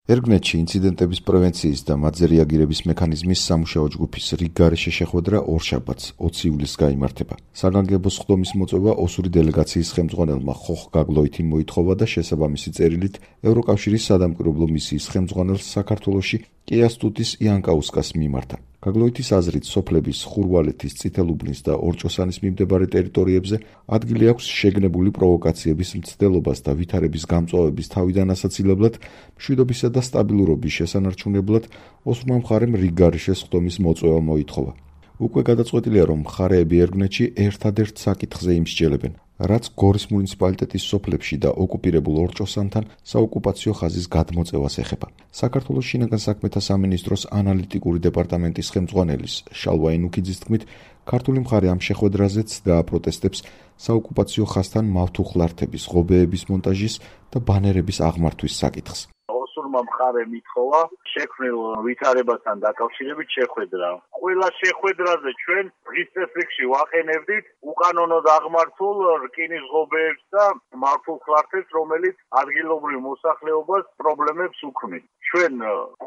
ერგნეთში ინციდენტების პრევენციის და მათზე რეაგირების მექანიზმის სამუშაო ჯგუფის რიგგარეშე შეხვედრა ორშაბათს 20 ივლისს გაიმართება. საგანგებო სხდომის მოწვევა ოსური დელეგაციის ხელმძღვანელმა ხოხ გაგლოითიმ მოითხოვა და შესაბამისი წერილით ევროკავშირის სადამკვირვებლო მისიის ხელმძღვანელს საქართველოში კიასტუტის იანკაუსკას მიმართა. გაგლოითის აზრით, სოფლების ხურვალეთის, წითელუბნის და ორჭოსანის მიმდებარე ტერიტორიებზე ადგილი აქვს შეგნებული პროვოკაციების მცდელობას და ვითარების გამწვავების თავიდან ასაცილებლად, მშვიდობისა და სტაბილურობის შესანარჩუნებლად ოსურმა მხარემ რიგგარეშე სხდომის მოწვევა მოითხოვა. უკვე გადაწყვეტილია, რომ მხარეები ერგნეთში ერთადერთ საკითხზე იმსჯელებენ, რაც გორის მუნიციპალიტეტის სოფლებში და ოკუპირებულ ორჭოსანთან საოკუპაციო ხაზის გადმოწევას ეხება. საქართველოს შინაგან საქმეთა სამინისტროს ანალიტიკური დეპარტამენტის ხელმძღვანელის შალვა ენუქიძის თქმით, ქართული მხარე ამ შეხვედრაზეც დააპროტესტებს საოკუპაციო ხაზთან მავთუხლართების, ღობეების მონტაჟის და ბანერების აღმართვის საკითხს. მხარე მითხოვა შექმნილ ვითარებასთან დაკავშირებით შეხვედრა. ყველა შეხვედრაზე ჩვენ დღის წესრიგში ვაყენებდით უკანონოდ აღმართულ რკინის ღობეებს და მავთუხლართებს, რომელიც ადგილობრივ მოსახლეობას პრობლემებს უქმნის. ჩვენ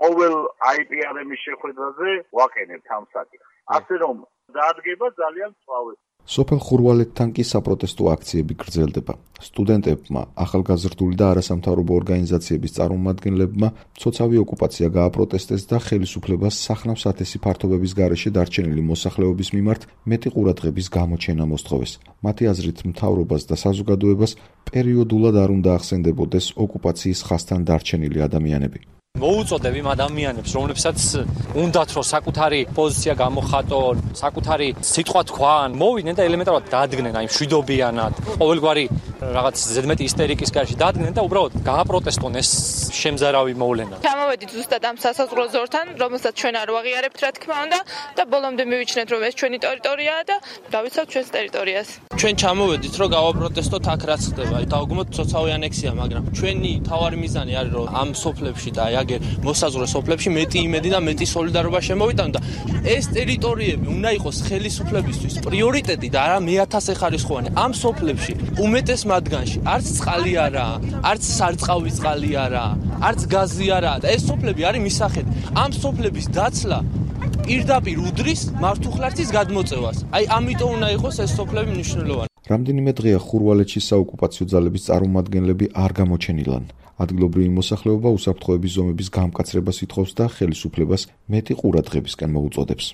ყოველ IPRM-ის შეხვედრაზე ვაყენებთ ამ საკითხს. ასე რომ დადგება ძალიან სწრაფად. სოფელ ხურვალეთთან კი საპროტესტო აქციები გრძელდება. სტუდენტებმა, ახალგაზრდული და არასამთავრობო ორგანიზაციების წარმომადგენლებმა მცოცავი ოკუპაცია გააპროტესტეს და ხელისუფლებას სახნავს ათესი ფართობების გარეშე დარჩენილი მოსახლეობის მიმართ მეტი ყურადღების გამოჩენა მოსთხოვეს. მათი აზრით, მთავრობას და საზოგადოებას პერიოდულად არ უნდა ახსენდებოდეს ოკუპაციის ხაზთან დარჩენილი ადამიანები. მოუწოდებ იმ ადამიანებს, რომლებსაც უნდათ რომ საკუთარი პოზიცია გამოხატონ, საკუთარი სიტყვა თქვან, მოვიდნენ და ელემენტარულად დადგნენ აი მშვიდობიანად, ყოველგვარი რაღაც ზედმეტი ისტერიკის გარშე დადგნენ და უბრალოდ გააპროტესტონ ეს შემზარავი მოვლენა. ჩამოვედით ზუსტად ამ სასაზღვრო ზორთან, რომელსაც ჩვენ არ ვაღიარებთ, რა თქმა უნდა, და ბოლომდე მივიჩნეთ, რომ ეს ჩვენი ტერიტორიაა და დავიცავთ ჩვენს ტერიტორიას. ჩვენ ჩამოვედით, რომ გავაპროტესტოთ აქ რაც ხდება, დავგმოთ ცოცხალი ანექსია, მაგრამ ჩვენი თავარი მიზანი არის, რომ ამ სოფლებში და აგერ მოსაზღვრე სოფლებში მეტი იმედი და მეტი სოლიდარობა შემოვიტანო და ეს ტერიტორიები უნდა იყოს ხელისუფლებისთვის პრიორიტეტი და არა მეათასეხარისხოვანი. ამ სოფლებში უმეტეს მათგანში არც წყალი არაა, არც სარწყავი წყალი არაა, არც გაზი არაა და ეს სოფლები არის მისახედი. ამ სოფლების დაცლა პირდაპირ უდრის მავთუხლართის გადმოწევას. აი ამიტომ უნდა იყოს ეს სოფლები მნიშვნელოვანი. რამდენიმე დღეა ხურვალეთში საოკუპაციო ძალების წარმომადგენლები არ გამოჩენილან. ადგილობრივი მოსახლეობა უსაფრთხოების ზომების გამკაცრებას ითხოვს და ხელისუფლებას მეტი ყურადღებისკენ მოუწოდებს.